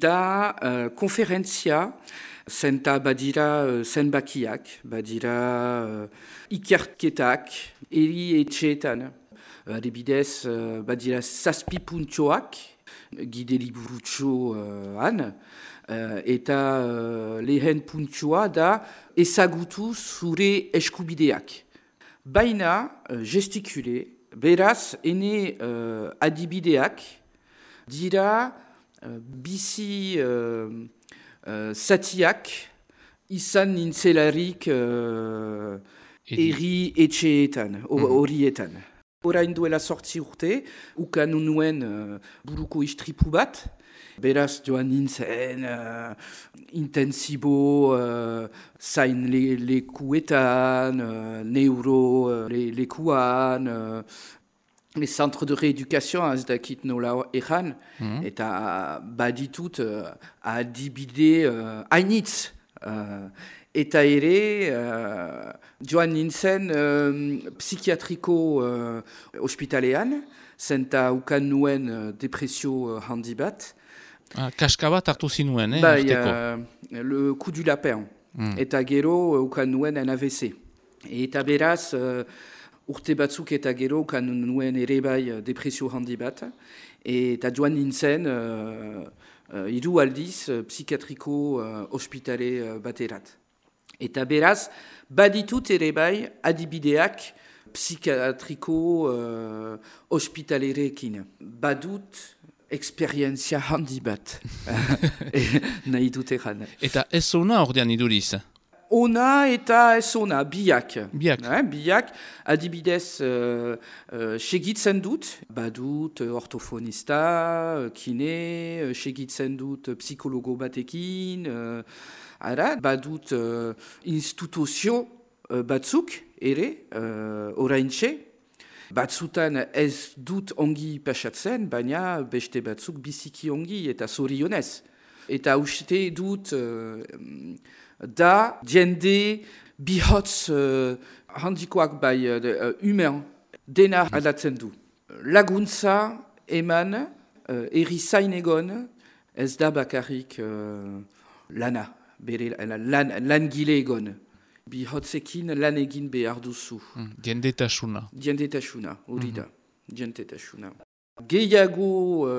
da konferentzia, zenta badira zenbakiak, badira ikerketak, eri etxeetan. Adibidez, badira 7 puntxoak, gide liburutxoan, eta lehen puntxoa da ezagutu zure eskubideak. Baina gestikule, beraz, ene adibideak dira bizi zatiak izan nintzelarik erri etxeetan, horietan. Orain duela 8 urte, ukan nuen buruko istripu bat, beraz joan nintzen intensibo zain lekuetan, neuro lekuan, les centres de rééducation, ez dakit nola ejan, eta baditut adibide hainitz. Eta ere, joan nintzen psikiatriko ospitalean, zenta ukan nuen depresio handi bat. Kaska bat hartu zinuen, le coup du lapin. Eta gero ukan nuen en AVC. Eta beraz, urte batzuk eta gero ukan nuen ere bai depresio handi bat. Eta joan nintzen 3 aldiz psikiatriko ospitale baterat. Eta beraz, baditut ere bai adibideak psikiatriko ospitalerekin. Badut eksperientzia handi bat. Nahi dut egan. Eta ez ona ordean iduriz? Ona eta ez ona, biak. Biak. Adibidez, segitzen dut, badut ortofonista, kine, segitzen dut psikologo batekin, badut instituzio batzuk ere, oraintxe. Batzutan ez dut ongi pasatzen, baina beste batzuk biziki ongi eta zorionez. Eta uste dut da jende bihotz handikoak bai humen dena aldatzen du. Laguntza eman erizain egon ez da bakarrik lana, bere langile egon. Bihotzekin lan egin behar duzu. Jendetasuna. Jendetasuna, hori da. Jendetasuna. Gehiago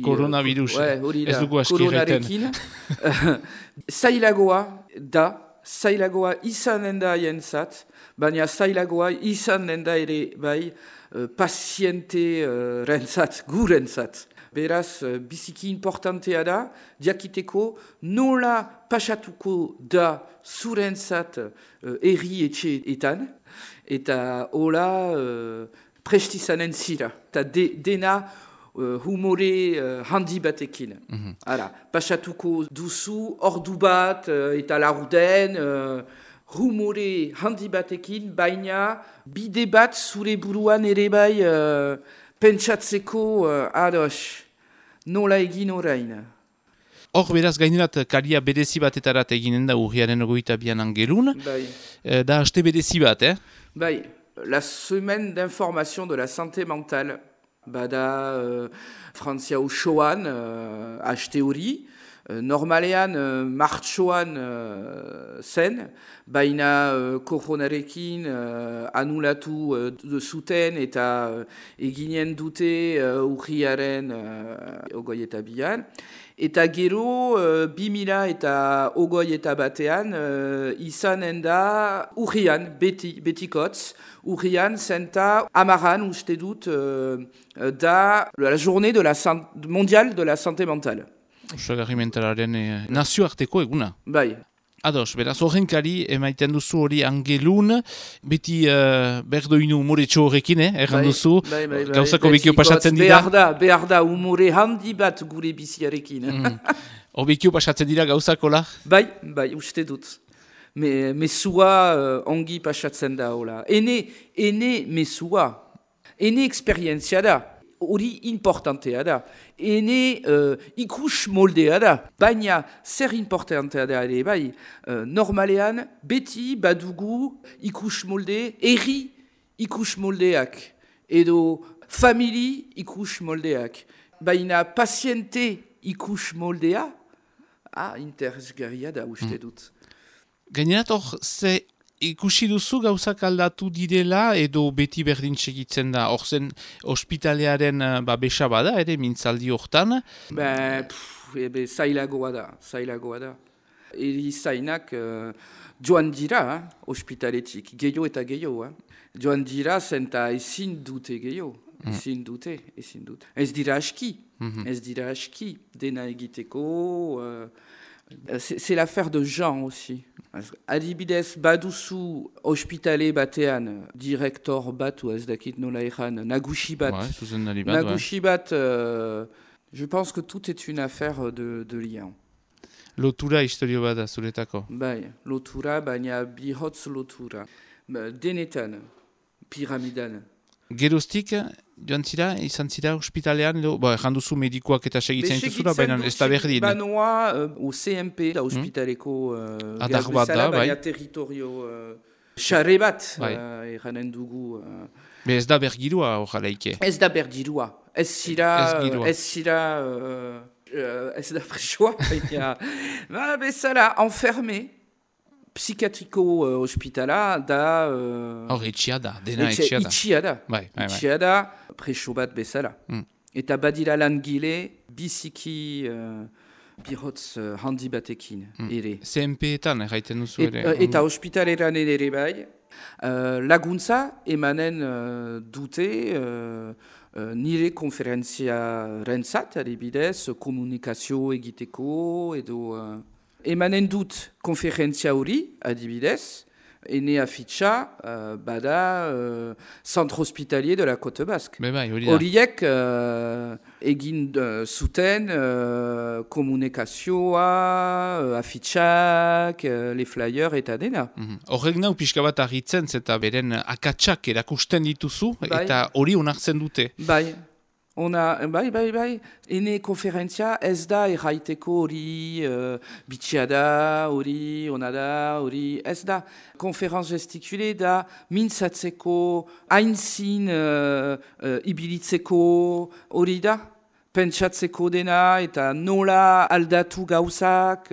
Coronavirus, ez dugu askirreten. Zailagoa izanen da jentzat, baina zailagoa izanen da ere bai paziente rentzat, gurentzat. Beraz, biziki importantea da, diakiteko nola pasatuko da zurentzat erri etxeetan, eta hola prestizanen zira, eta dena humore handi batekin. Pasatuko duzu, ordu bat eta laurden, humore handi batekin, baina bide bat zure buruan ere bai pentsatzeko ados, nola egin orain. Hor beraz gainerat karia berezi batetarat eginen da urriaren 22 angelun, da haste berezi bat, Bai. La semaine d'information de la santé mentale, bada Frantzia osoan, haste hori, normalean martxoan zen, baina koronarekin anulatu zuten eta eginen dute urriaren 22an. Eta gero, 2021 izanen da urrian, betikotz, urrian zenta amaran uste dut da la journée mondiale de la santé mentale. Osagarri mentalaren nazioarteko eguna. Bai. Ados, beraz horrenkari emaiten duzu hori angelun, beti berdoinu umoretxo horrekin, erran duzu, gauzako bekio pasatzen dira. Behar da, umore handi bat gure biziarekin. Bekio pasatzen dira gauzakola? Bai, uste dut. Mesua ongi pasatzen da, hola. Ene mesua, ene eksperientzia da. Hori importantea da. Ene ikus moldea da. Baina zer importantea da ere bai. Normalean beti badugu ikus molde, erri ikus moldeak. Edo famili ikus moldeak. Baina paziente ikus moldea, interesgarria da uste dut. Gainerat hor, ze ikusi duzu gauzak aldatu direla edo beti berdin segitzen da? Hor zen ospitalearen besa bada, ere mintzaldi hortan? Zailagoa da. Eri zainak joan dira, ospitaletik, gehiago eta gehiago. Joan dira zenta ezin dute gehiago. Ezin dute. Ez dira aski, dena egiteko. C'est l'affaire de gens aussi. Adibidez, baduzu ospitale batean, direktor bat, ou ez dakit nola ejan, nagusi bat. Nagusi bat, je pense que tout est une affaire de lien. Lotura historio bada zuretako. Bai, lotura, baina bihotz lotura. Denetan, piramidan. Geroztik, joan zira, izan zira ospitalean, erran duzu medikoak eta segitzen dituzula, baina ez da berdin. Banoa, o CMP, da ospitaleko adar bat da, bai. Baina territorio xarre bat, erranen dugu. Ez da bergirua horrelaike. Ez da bergirua. Ez zira, ez da presoa, baina bezala, enferme. Psikiatriko ospitala da... etxia da, dena etxia da. Etxia da, preso bat bezala. Eta badira langile biziki bihotz handi batekin ere. CMP-etan erraiten duzu ere. Eta ospitaleran ere bai. Laguntza emanen dute nire konferentzia rentzat, adibidez, komunikazio egiteko edo... Emanen dut konferentzia hori, adibidez, ene afitxa bada Centre Hospitalier de la Côte Basque. Horiek egin zuten komunikazioa, afitxak, le flyer eta dena. Horrek nau pixka bat argitzen, eta beren akatsak erakusten dituzu, eta hori onartzen dute. Bai. Bai. Ene konferentzia ez da erraiteko hori bitxia da, hori ona da, hori ez da. Konferenz gestikule da mintzatzeko, hainzin ibilitzeko hori da. Pentsatzeko dena eta nola aldatu gauzak.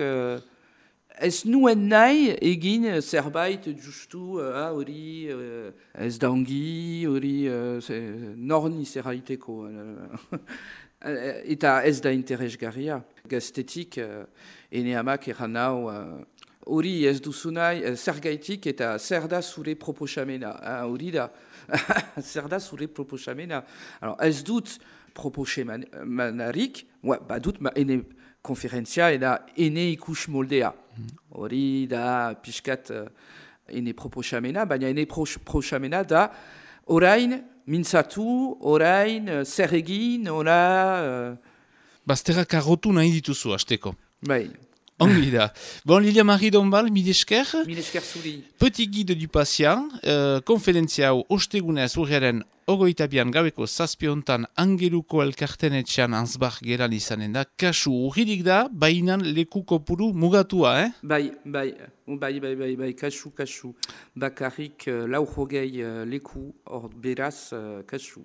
Ez nuen nahi egin zerbait justu hori ez da ongi, hori norni zerraiteko. Eta ez da interesgarria. Gaztetik, ene amak erran hau, hori ez duzu nahi, zer gaitik eta zer da zure proposamena. Hori da, zer da zure proposamena. Ez dut proposamenarik, badut ene konferentzia eta ene ikus moldea. Hori da pixkat ene proposamena, baina ene proposamena da orain mintzatu, orain zer egin, Bazterrak arrotu nahi dituzu, hasteko. Bai. Ongi da. Bon, Lilia-Marie Dombal, milesker. Milesker zuri. Petit guide du patient, konferentzia hau ostegunez urriaren 22an gabeko zazpiontan Angeluko elkartenetxean Ansbach geran izanen da. Kasu urridik da, bainan leku kopuru mugatua, eh? Bai, kasu. Bakarrik 60 leku, hor beraz kasu.